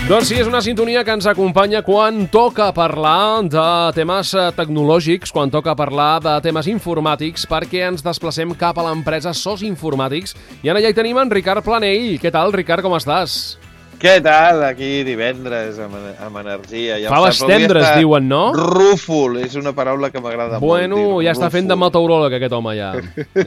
Doncs sí, és una sintonia que ens acompanya quan toca parlar de temes tecnològics, quan toca parlar de temes informàtics, perquè ens desplacem cap a l'empresa SOS Informàtics. I ara ja hi tenim en Ricard Planell. Què tal, Ricard, com estàs? Què tal? Aquí divendres, amb energia. Ja Faves tendres, diuen, no? Rúfol, és una paraula que m'agrada molt. Bueno, ja està fent de meteoròleg aquest home, ja.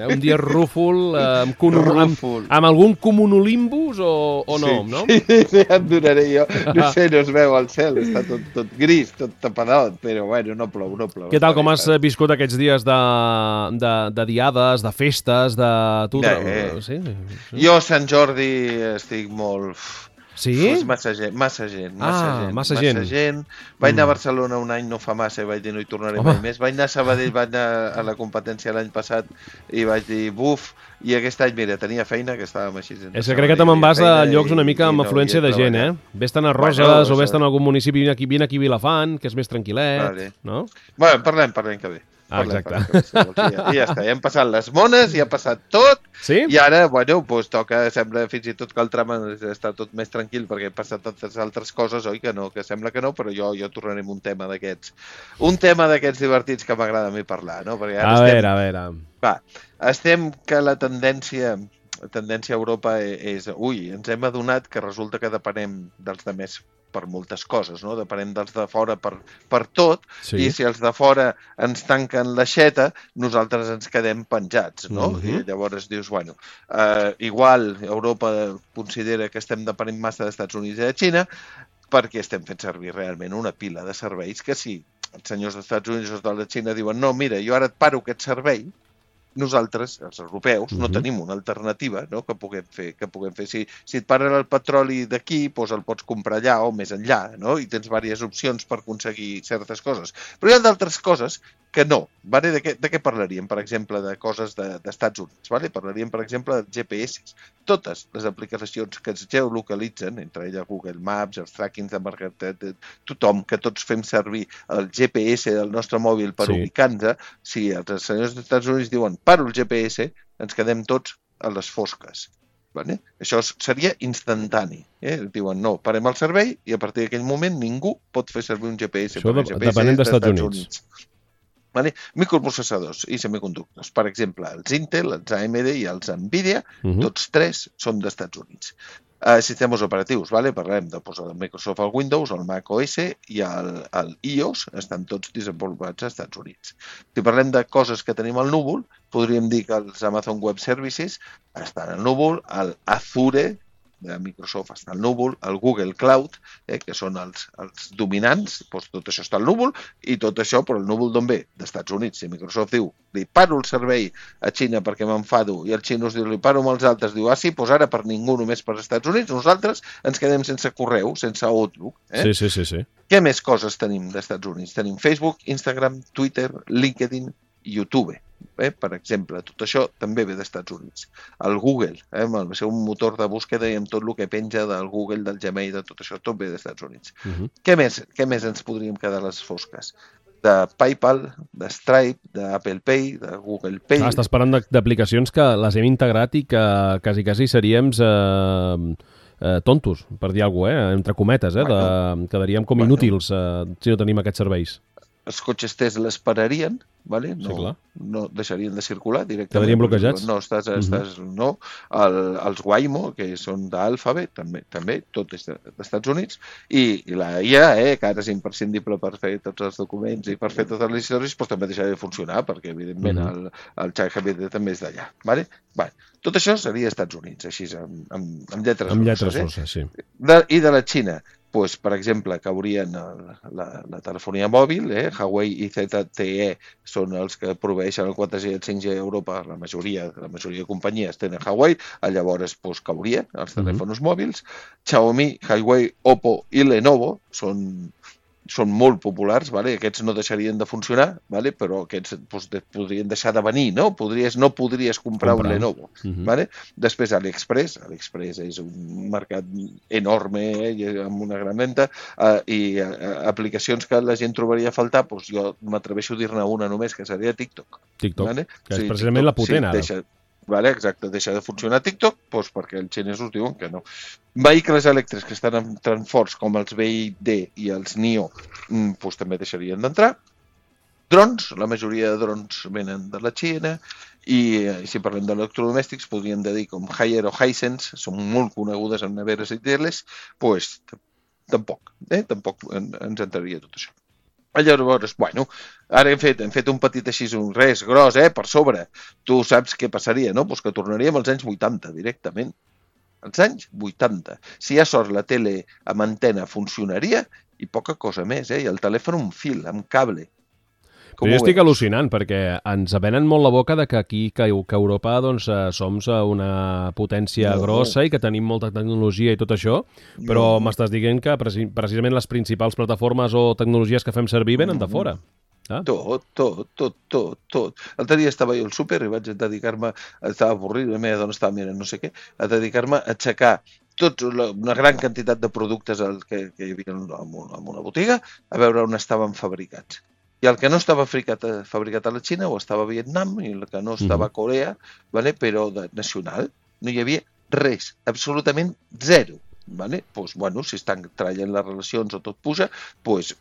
Un dia rúfol, amb algun comunolimbus o no, no? Sí, ja et donaré jo. No sé, no es veu al cel, està tot gris, tot tapadot, però bueno, no plou. Què tal, com has viscut aquests dies de diades, de festes, de... Sí? Jo a Sant Jordi estic molt... Sí? Massa gent. Vaig anar a Barcelona un any, no fa massa, i vaig dir no hi tornaré mai més. Vaig anar a Sabadell, vaig anar a la competència l'any passat i vaig dir buf, i aquest any, mira, tenia feina, que estàvem així. És que crec que te me'n vas a llocs una mica amb afluència de gent, eh? Vés-te'n a Roses o vés-te'n a algun municipi, vine aquí a Vilafant, que és més tranquil·let, no? Bueno, parlem que bé. Exacte. I ja està, ja hem passat les mones, ja ha passat tot, sí? I ara, bueno, doncs toca, sembla fins i tot que el tram està tot més tranquil perquè he passat tantes altres coses, oi que no? Que sembla que no, però jo tornaré amb un tema d'aquests divertits que m'agrada a mi parlar, no? Perquè ara a veure. Va, estem que la tendència a Europa és... ens hem adonat que resulta que depenem dels altres per moltes coses, no? Depenem dels de fora per tot, sí. I si els de fora ens tanquen l'aixeta, nosaltres ens quedem penjats, no? I llavors dius, bueno, igual Europa considera que estem depenent massa dels Estats Units i de Xina, perquè estem fent servir realment una pila de serveis que si els senyors dels Estats Units o de la Xina diuen no, mira, jo ara et paro aquest servei, nosaltres, els europeus, no tenim una alternativa, no? que puguem fer. Si et paren el petroli d'aquí, doncs el pots comprar allà o més enllà, no? I tens diverses opcions per aconseguir certes coses. Però hi ha d'altres coses que no. Vale? De què parlaríem, per exemple, de coses d'Estats Units? Vale? Parlaríem, per exemple, de GPS. Totes les aplicacions que es geolocalitzen, entre elles Google Maps, els trackings de mercat, tothom, que tots fem servir el GPS del nostre mòbil per ubicar-nos, si els senyors dels Estats Units diuen paro el GPS, ens quedem tots a les fosques. Vale? Això seria instantani. Diuen, no, parem el servei i a partir d'aquell moment ningú pot fer servir un GPS. Això depenent dels Estats Units. Vale? Microprocessadors i semiconductors. Per exemple, els Intel, els AMD i els Nvidia, tots tres són d'Estats Units. Sistemes operatius, vale? Parlem de Microsoft, el Windows, el Mac OS i el iOS, estan tots desenvolupats als Estats Units. Si parlem de coses que tenim al núvol, podríem dir que els Amazon Web Services estan al núvol, el Azure de Microsoft està al núvol, el Google Cloud, que són els dominants, doncs tot això està al núvol, i tot això, però el núvol d'on ve? D'Estats Units. Si Microsoft diu, li paro el servei a Xina perquè m'enfado, i el xinos diu, li paro amb els altres, diu, sí, doncs ara per ningú, només per Estats Units, nosaltres ens quedem sense correu, sense Outlook. Sí. Què més coses tenim d'Estats Units? Tenim Facebook, Instagram, Twitter, LinkedIn, YouTube. Per exemple, tot això també ve d'Estats Units. El Google, amb el seu motor de búsqueda i amb tot el que penja del Google, del Gmail, de tot això, tot ve d'Estats Units. Què més ens podríem quedar a les fosques? De PayPal, de Stripe, d'Apple Pay, de Google Pay... Estàs parlant d'aplicacions que les hem integrat i que quasi seríem tontos, per dir alguna cosa, entre cometes, quedaríem com inútils si no tenim aquests serveis. Els cotxes Tesla l'esperarien, vale? No deixarien de circular directament. Quedarien bloquejats. No, els Waymo, que són d'Alphabet, també, tot és d'Estats Units, i la IA, que ara és imprescindible per fer tots els documents i per fer totes les històries, doncs també deixarà de funcionar, perquè evidentment el ChatGPT també és d'allà. Vale? Tot això seria Estats Units, així, amb lletres grosses. Sí. I de la Xina, doncs, per exemple, caurien la telefonia mòbil, Huawei i ZTE són els que proveeixen el 4G i el 5G a Europa, la majoria de companyies tenen Huawei, llavors caurien els telèfons mòbils. Xiaomi, Huawei, Oppo i Lenovo són molt populars, vale? Aquests no deixarien de funcionar, vale? Però aquests podrien deixar de venir, no? No podries comprar un Lenovo. Vale? Després AliExpress és un mercat enorme amb una gran venda i aplicacions que la gent trobaria a faltar, doncs jo m'atreveixo a dir-ne una només, que seria TikTok. Vale? Que és precisament la potent ara. Vale, exacte, deixa de funcionar TikTok doncs perquè els xinesos diuen que no. Vehicles elèctrics que estan en transports com els BYD i els NIO doncs també deixarien d'entrar. Drons, la majoria de drons venen de la Xina i si parlem d'electrodomèstics podríem dir com Haier o Hisense, són molt conegudes en neveres i teles, doncs tampoc ens entraria tot això. Llavors, bueno, ara hem fet un petit així, un res gros, per sobre. Tu saps què passaria, no? Pues que tornaríem als anys 80 directament. Als anys 80. Si hi ha sort, la tele amb antena funcionaria i poca cosa més, i el telèfon un fil, amb cable. Però jo estic al·lucinant perquè ens venen molt la boca de que aquí, que Europa, doncs, som una potència grossa i que tenim molta tecnologia i tot això, però m'estàs dient que precisament les principals plataformes o tecnologies que fem servir venen de fora. Tot. L'altre dia estava jo al súper i vaig dedicar-me, estava avorrit, la meva dona estava mirant no sé què, a dedicar-me a aixecar una gran quantitat de productes que hi havia en una botiga, a veure on estaven fabricats. I el que no estava fabricat a la Xina o estava a Vietnam i el que no estava a Corea, però nacional, no hi havia res, absolutament zero. Doncs, bueno, si estan traient les relacions o tot puja, doncs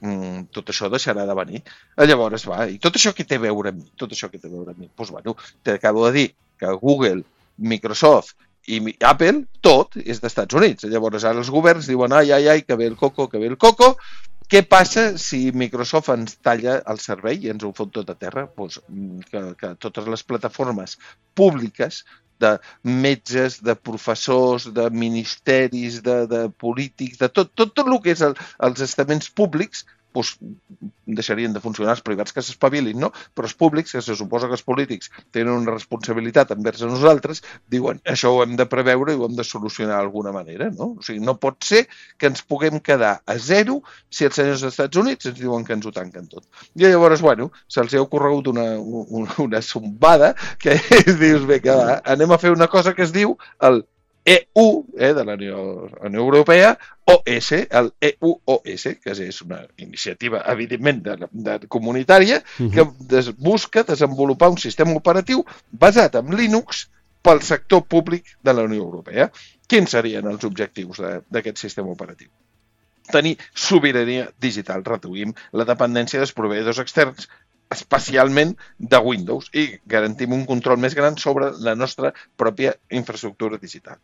tot això deixarà de venir. Llavors, i tot això què té a veure amb mi? Doncs, bueno, t'acabo de dir que Google, Microsoft i Apple, tot és d'Estats Units. Llavors, ara els governs diuen, ai, que ve el coco. Què passa si Microsoft ens talla el servei i ens ho fot tot a terra? Doncs que totes les plataformes públiques de metges, de professors, de ministeris, de polítics, de tot el que és els estaments públics, doncs deixarien de funcionar. Els privats que s'espavilin, no? Però els públics, que se suposa que els polítics tenen una responsabilitat envers a nosaltres, diuen, això ho hem de preveure i ho hem de solucionar d'alguna manera, no? O sigui, no pot ser que ens puguem quedar a zero si els senyors dels Estats Units ens diuen que ens ho tanquen tot. I llavors, bueno, se'ls ha ocorregut una zombada que dius, vinga, anem a fer una cosa que es diu el EU, de la Unió Europea, OS, el EUOS, que és una iniciativa, evidentment, comunitària, que busca desenvolupar un sistema operatiu basat en Linux pel sector públic de la Unió Europea. Quins serien els objectius d'aquest sistema operatiu? Tenir sobirania digital, reduïm la dependència dels proveïdors externs, especialment de Windows, i garantim un control més gran sobre la nostra pròpia infraestructura digital.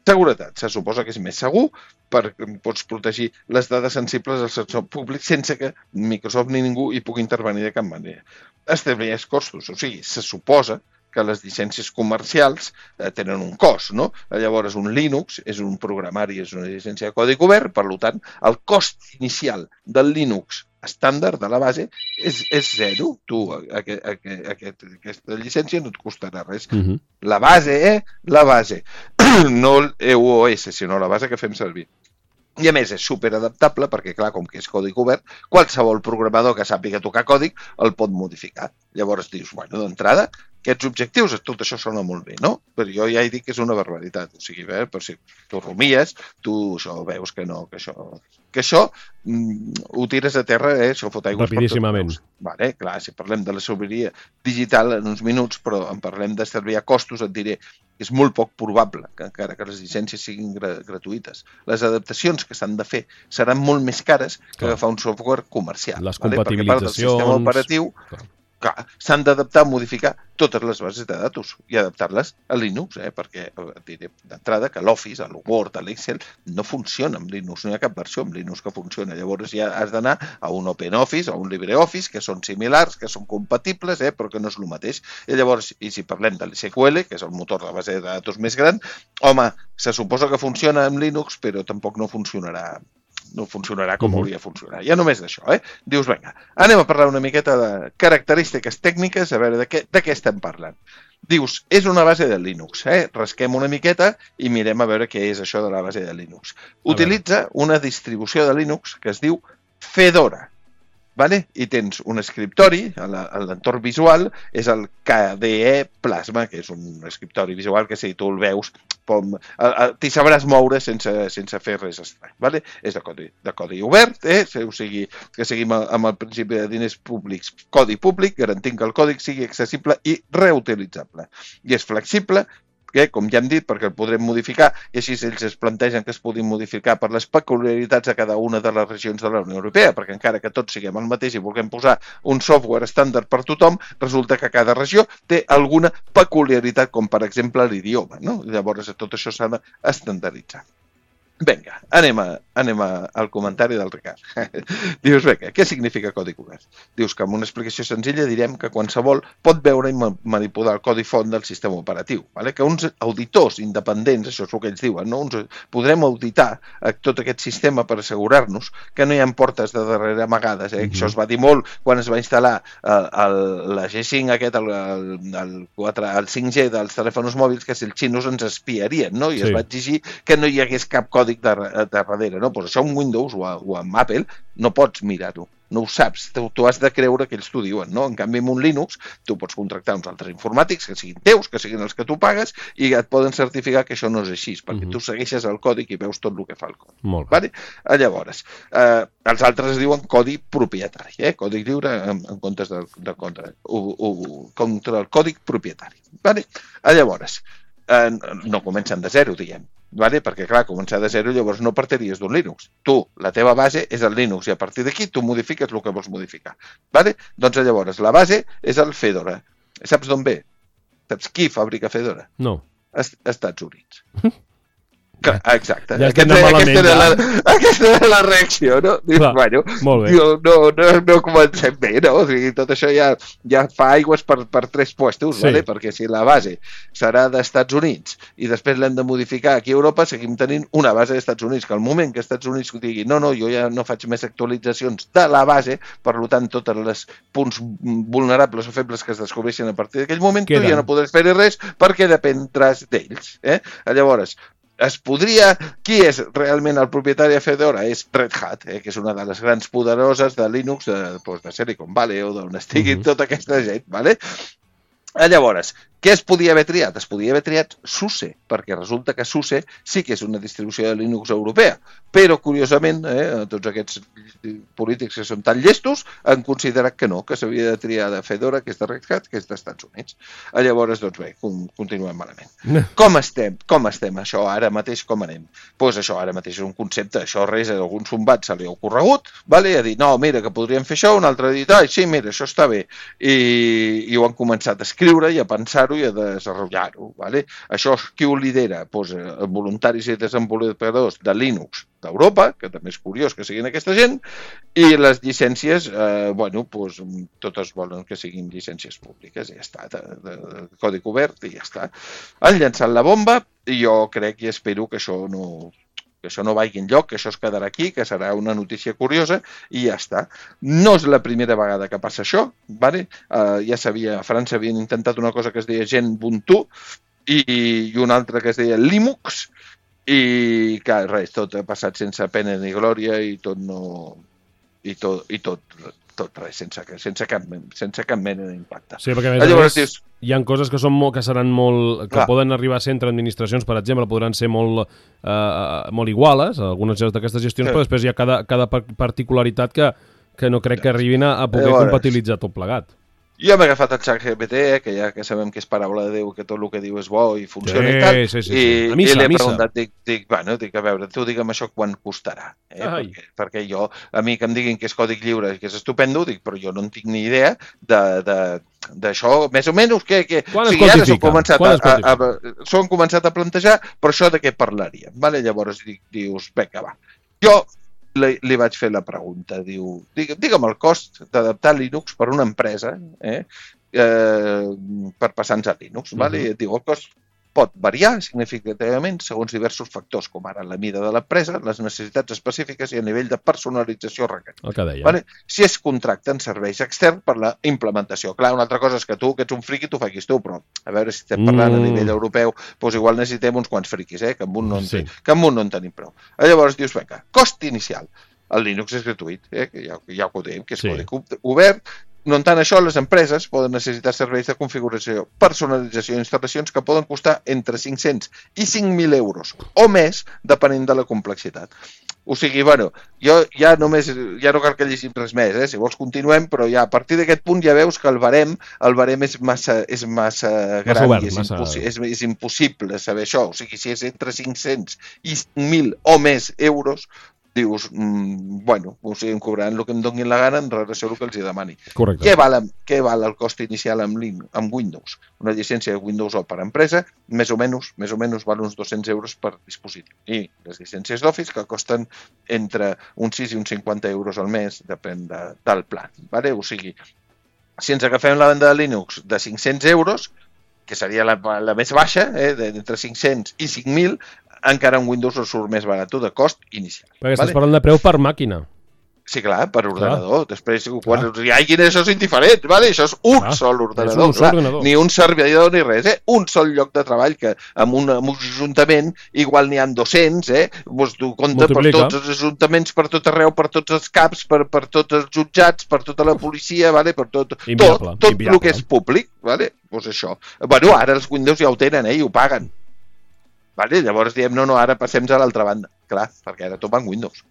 Seguretat. Se suposa que és més segur perquè pots protegir les dades sensibles del sector públic sense que Microsoft ni ningú hi pugui intervenir de cap manera. Establir els costos. O sigui, se suposa que les llicències comercials tenen un cost, no? Llavors, un Linux és un programari, és una llicència de codi obert, per tant, el cost inicial del Linux estàndard de la base és zero. Tu, aquesta llicència no et costarà res. La base, la base. No l'EUOS, sinó la base que fem servir. I a més és superadaptable perquè, clar, com que és codi obert, qualsevol programador que sàpiga tocar còdig el pot modificar. Llavors dius, bueno, d'entrada, aquests objectius, tot això sona molt bé, no? Però jo ja he dit que és una barbaritat. O sigui, però si tu rumies, tu això veus que no, que això ho tires a terra, això fot aigües per tots rapidíssimament. Vale, clar, si parlem de la sobirania digital en uns minuts, però en parlem d'estalviar costos, et diré que és molt poc probable que encara que les llicències siguin gratuïtes. Les adaptacions que s'han de fer seran molt més cares que agafar un software comercial. Les compatibilitzacions... Perquè part del sistema operatiu... s'han d'adaptar, modificar totes les bases de datos i adaptar-les a Linux, perquè diré d'entrada que l'Office, l'Word, l'Excel no funciona amb Linux, no hi ha cap versió amb Linux que funciona. Llavors ja has d'anar a un OpenOffice, a un LibreOffice, que són similars, que són compatibles, però que no és el mateix. I llavors, i si parlem de l'SQL, que és el motor de base de datos més gran, home, se suposa que funciona amb Linux, però tampoc no funcionarà com hauria de funcionar. Ja només d'això, Dius, vinga, anem a parlar una miqueta de característiques tècniques, a veure de què estem parlant. Dius, és una base de Linux, Rasquem una miqueta i mirem a veure què és això de la base de Linux. Utilitza una distribució de Linux que es diu Fedora. vale? I tens un escriptori, a l'entorn visual, és el KDE Plasma, que és un escriptori visual que si tu el veus, t'hi sabràs moure sense fer res estrany. Vale? És de codi obert, o sigui, que seguim amb el principi de diners públics, codi públic, garantint que el codi sigui accessible i reutilitzable. I és flexible, que, com ja hem dit, perquè el podrem modificar, i així ells es plantegen que es puguin modificar per les peculiaritats de cada una de les regions de la Unió Europea, perquè encara que tots siguem el mateix i vulguem posar un software estàndard per tothom, resulta que cada regió té alguna peculiaritat, com per exemple l'idioma, no? Llavors tot això s'ha d'estandarditzar. Vinga, anem al comentari del Ricard. Dius, vinga, què significa codi obert? Dius que amb una explicació senzilla direm que qualsevol pot veure i manipular el codi font del sistema operatiu. Vale? Que uns auditors independents, això és el que ells diuen, no? Podrem auditar tot aquest sistema per assegurar-nos que no hi ha portes de darrere amagades. Això es va dir molt quan es va instal·lar la G5 aquest, el 5G dels telèfons mòbils, que si els xinos ens espiarien, no? I es va exigir que no hi hagués cap codi de darrere, no? Pues això en Windows o en Apple no pots mirar-ho, no ho saps, tu has de creure que ells t'ho diuen, no? En canvi, en un Linux, tu pots contractar uns altres informàtics que siguin teus, que siguin els que tu pagues, i et poden certificar que això no és així, perquè tu segueixes el còdic i veus tot el que fa el codi. Vale? Llavors, els altres es diuen codi propietari, codi lliure en comptes de contra el codi propietari. Vale? Llavors, no comencen de zero, diguem. Vale? Perquè, clar, començar de zero llavors no partiries d'un Linux. Tu, la teva base és el Linux i a partir d'aquí tu modifiques el que vols modificar. Vale? Doncs llavors la base és el Fedora. Saps d'on ve? Saps qui fabrica Fedora? No. Estats Units. Exacte. Ja aquesta era la reacció, no? Dius, bueno, no comencem bé, no? O sigui, tot això ja fa aigües per 3 puestos, vale? Perquè si la base serà d'Estats Units i després l'hem de modificar aquí a Europa, seguim tenint una base d'Estats Units, que al moment que Estats Units digui no, jo ja no faig més actualitzacions de la base, per tant, tots els punts vulnerables o febles que es descobreixen a partir d'aquell moment, tu ja no podràs fer res perquè dependràs d'ells. Llavors, qui és realment el propietari de Fedora? És Red Hat, que és una de les grans poderoses de Linux, de Silicon Valley o d'on estigui tota aquesta gent, vale? Llavors, què es podia haver triat? Es podia haver triat SUSE, perquè resulta que SUSE sí que és una distribució de Linux europea, però curiosament, tots aquests polítics que són tan llestos han considerat que no, que s'havia de triar de Fedora, que és de Red Hat, que és d'Estats Units. Llavors, doncs bé, continuem malament. Com estem això ara mateix, com anem? Doncs això ara mateix és un concepte, això res, a algun sombat se li ha ocorregut, vale? Ha dit, no, mira, que podríem fer això, un altre ha dit, sí, mira, això està bé, i ho han començat a escriure i a pensar-ho i a desenvolupar-ho. Vale? Això qui ho lidera? Pues, voluntaris i desenvolupadors de Linux d'Europa, que també és curiós que siguin aquesta gent, i les llicències, pues, totes volen que siguin llicències públiques, i ja està, de codi obert, i ja està. Han llançat la bomba, i jo crec i espero que això no vagi enlloc, que això es quedarà aquí, que serà una notícia curiosa, i ja està. No és la primera vegada que passa això, vale? Ja a França havien intentat una cosa que es deia Ubuntu i una altra que es deia Linux, i que res, tot ha passat sense pena ni glòria i tot res, sense cap mena d'impacte. Sí, perquè a més hi ha coses que seran molt... que poden arribar a ser entre administracions, per exemple, podran ser molt iguales, algunes d'aquestes gestions, però després hi ha cada particularitat que no crec que arribin a poder compatibilitzar tot plegat. Jo m'he agafat el ChatGPT, que ja que sabem que és paraula de Déu, que tot el que diu és bo i funciona i tal, i li he preguntat, dic, a veure, tu digue'm això quan costarà, perquè a mi que em diguin que és codi lliure i que és estupendo, dic, però jo no en tinc ni idea d'això, més o menys, que quan es quantifica? S'ho han començat a plantejar, però això de què parlaríem, vale? Llavors dius, vinga, va, jo li vaig fer la pregunta, diu, digue'm el cost d'adaptar Linux per una empresa per passar-nos a Linux, vale? I et diu, el cost pot variar significativament segons diversos factors, com ara la mida de l'empresa, les necessitats específiques i el nivell de personalització requerit. El que deia. Vale? Si es contracten serveis externs per la implementació. Clar, una altra cosa és que tu, que ets un friqui, t'ho facis tu, però a veure si estem parlant a nivell europeu, doncs igual necessitem uns quants friquis, que amb un no en tenim prou. Llavors dius, vinga, cost inicial. El Linux és gratuït, que ja ho dèiem, que és codi obert. No en tant això, les empreses poden necessitar serveis de configuració, personalització i instal·lacions que poden costar entre 500 i 5.000 euros o més, depenent de la complexitat. O sigui, bueno, jo ja no cal que llegim res més, si vols continuem, però ja a partir d'aquest punt ja veus que el barem és massa gran obert, i és impossible saber això. O sigui, si és entre 500 i 5.000 o més euros, dius, bueno, o sigui, em cobraran el que em donin la gana en relació al que els demani. Correcte. Què val el cost inicial amb Windows? Una llicència de Windows O per empresa, més o menys val uns 200 euros per dispositiu. I les llicències d'Office que costen entre uns 6 i uns 50 euros al mes, depèn del pla. Vale? O sigui, si ens agafem la banda de Linux de 500 euros, que seria la més baixa, d'entre 500 i 5.000, encara un Windows no surt més barat de cost inicial. Perquè estàs parlant de preu per màquina. Sí, clar, per ordenador. Després, quan hi hagi això és indiferent, vale? Això és un sol ordenador. Ni un servidor ni res, un sol lloc de treball que amb un ajuntament igual n'hi ha 200, doncs tu compta per tots els ajuntaments, per tot arreu, per tots els CAPs, per tots els jutjats, per tota la policia, vale? Per tot el que és públic, vale? Doncs això. Bueno, ara els Windows ja ho tenen, i ho paguen. Vale? Llavors diem, no, ara passem a l'altra banda. Clar, perquè ara tot va en Windows.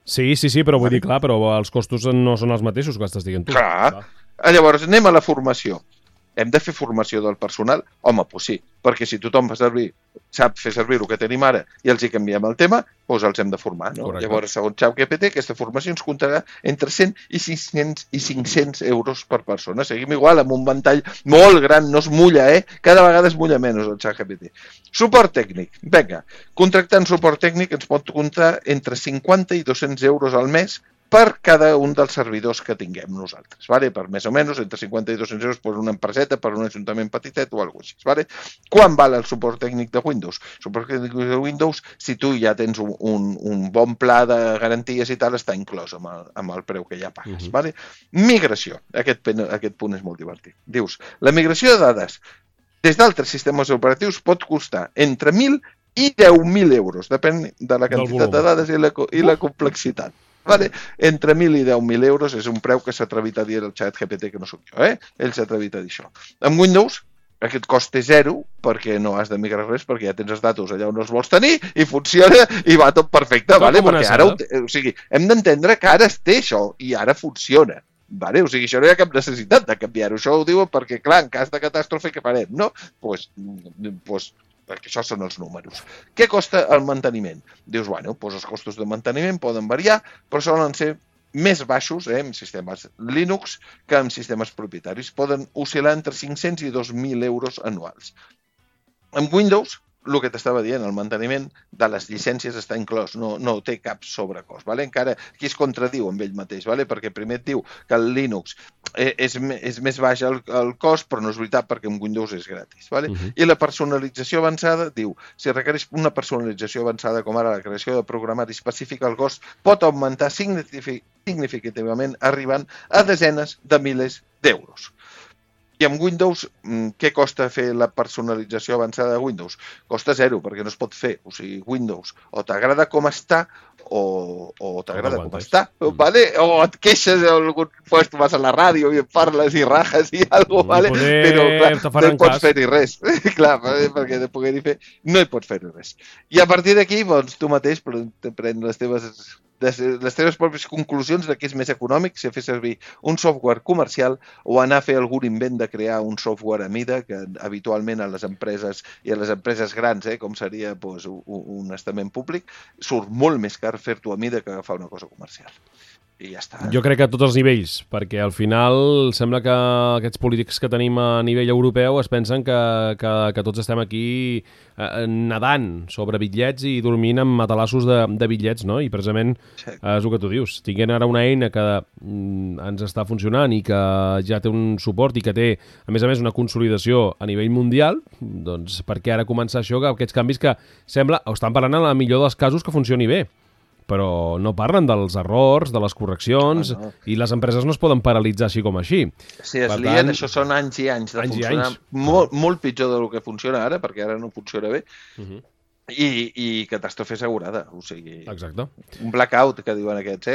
Sí, però vull dir, clar, però els costos no són els mateixos que estàs dient tu. Clar. Llavors anem a la formació. Hem de fer formació del personal? Home, doncs sí, perquè si tothom sap fer servir el que tenim ara i els hi canviem el tema, doncs els hem de formar, no? Correcte. Llavors, segons ChatGPT, aquesta formació ens comptarà entre 100 i 500 euros per persona. Seguim igual, amb un ventall molt gran, no es mulla, Cada vegada es mulla menys el ChatGPT. Suport tècnic. Vinga, contractant suport tècnic ens pot comptar entre 50 i 200 euros al mes per cada un dels servidors que tinguem nosaltres, vale? Per més o menys, entre 50 i 200 euros per una empreseta, per un ajuntament petitet o alguna cosa així. Vale? Quan val el suport tècnic de Windows? El suport tècnic de Windows, si tu ja tens un bon pla de garanties i tal, està inclòs amb el preu que ja pagues. Vale? Migració. Aquest punt és molt divertit. Dius, la migració de dades des d'altres sistemes operatius pot costar entre 1.000 i 10.000 euros, depèn de la quantitat de dades i la complexitat. Vale? Entre 1.000 i 10.000 euros és un preu que s'ha atrevit a dir el ChatGPT, que no sóc jo, ell s'ha atrevit a dir això. Amb Windows aquest cost és zero perquè no has de migrar res, perquè ja tens els datos allà on els vols tenir i funciona i va tot perfecte, vale? Perquè ara, o sigui, hem d'entendre que ara es té això i ara funciona. Vale? O sigui, això no hi ha cap necessitat de canviar-ho. Això ho diuen perquè, clar, en cas de catàstrofe, què farem, no? Doncs perquè això són els números. Què costa el manteniment? Dius, bueno, doncs els costos de manteniment poden variar, però solen ser més baixos en sistemes Linux que en sistemes propietaris. Poden oscil·lar entre 500 i 2.000 euros anuals. En Windows, el que t'estava dient, el manteniment de les llicències està inclòs, no té cap sobrecost. Vale? Encara aquí es contradiu amb ell mateix, vale? Perquè primer et diu que el Linux és més baix el cost, però no és veritat perquè en Windows és gratis. Vale? I la personalització avançada diu, si requereix una personalització avançada com ara la creació de programari específic, el cost pot augmentar significativament arribant a desenes de milers d'euros. I amb Windows, què costa fer la personalització avançada de Windows? Costa zero, perquè no es pot fer. O sigui, Windows o t'agrada com està o t'agrada com està, vale? O et queixes d'algun lloc, vas a la ràdio i et parles i rajes i alguna cosa, vale? Però clar, no hi pots fer-hi res. Clar, perquè de poder-hi fer no hi pots fer-hi res. I a partir d'aquí, doncs, tu mateix prens les teves pròpies conclusions de què és més econòmic, si fer servir un software comercial o anar a fer algun invent de crear un software a mida, que habitualment a les empreses i a les empreses grans, com seria un estament públic, surt molt més car fer-t'ho a mida que agafar una cosa comercial. I ja està. Jo crec que a tots els nivells, perquè al final sembla que aquests polítics que tenim a nivell europeu es pensen que tots estem aquí nedant sobre bitllets i dormint amb matalassos de bitllets, no? I precisament és el que tu dius. Tinguent ara una eina que ens està funcionant i que ja té un suport i que té, a més una consolidació a nivell mundial, doncs per què ara començar això, aquests canvis que sembla, o estan parlant en el millor dels casos que funcioni bé, però no parlen dels errors, de les correccions, i les empreses no es poden paralitzar així com així. Si es lien, això són anys i anys de funcionar molt pitjor del que funciona ara, perquè ara no funciona bé. I catàstrofe assegurada, o sigui... Exacte. Un blackout, que diuen aquests,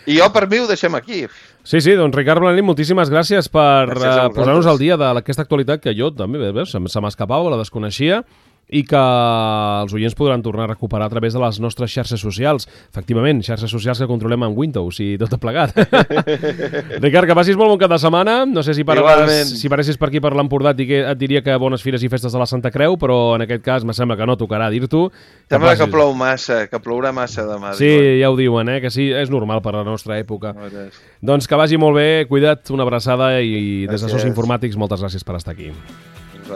I jo, per mi, ho deixem aquí. Sí, doncs Ricard Blanet, moltíssimes gràcies per posar-nos al dia d'aquesta actualitat que jo també, veus, se m'escapava, la desconeixia, i que els oients podran tornar a recuperar a través de les nostres xarxes socials. Efectivament, xarxes socials que controlem en Windows i tot plegat. Ricard, que passis molt bon cap de setmana. No sé si paressis per aquí per l'Empordà et diria que bones fires i festes de la Santa Creu, però en aquest cas me sembla que no tocarà dir-t'ho. Sembla que plou massa, que plourà massa demà. Sí, ja ho diuen, que sí, és normal per la nostra època. Doncs que vagi molt bé, cuida't, una abraçada i des de SOS Informàtics moltes gràcies per estar aquí.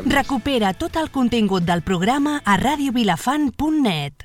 Recupera tot el contingut del programa a radiovilafant.net.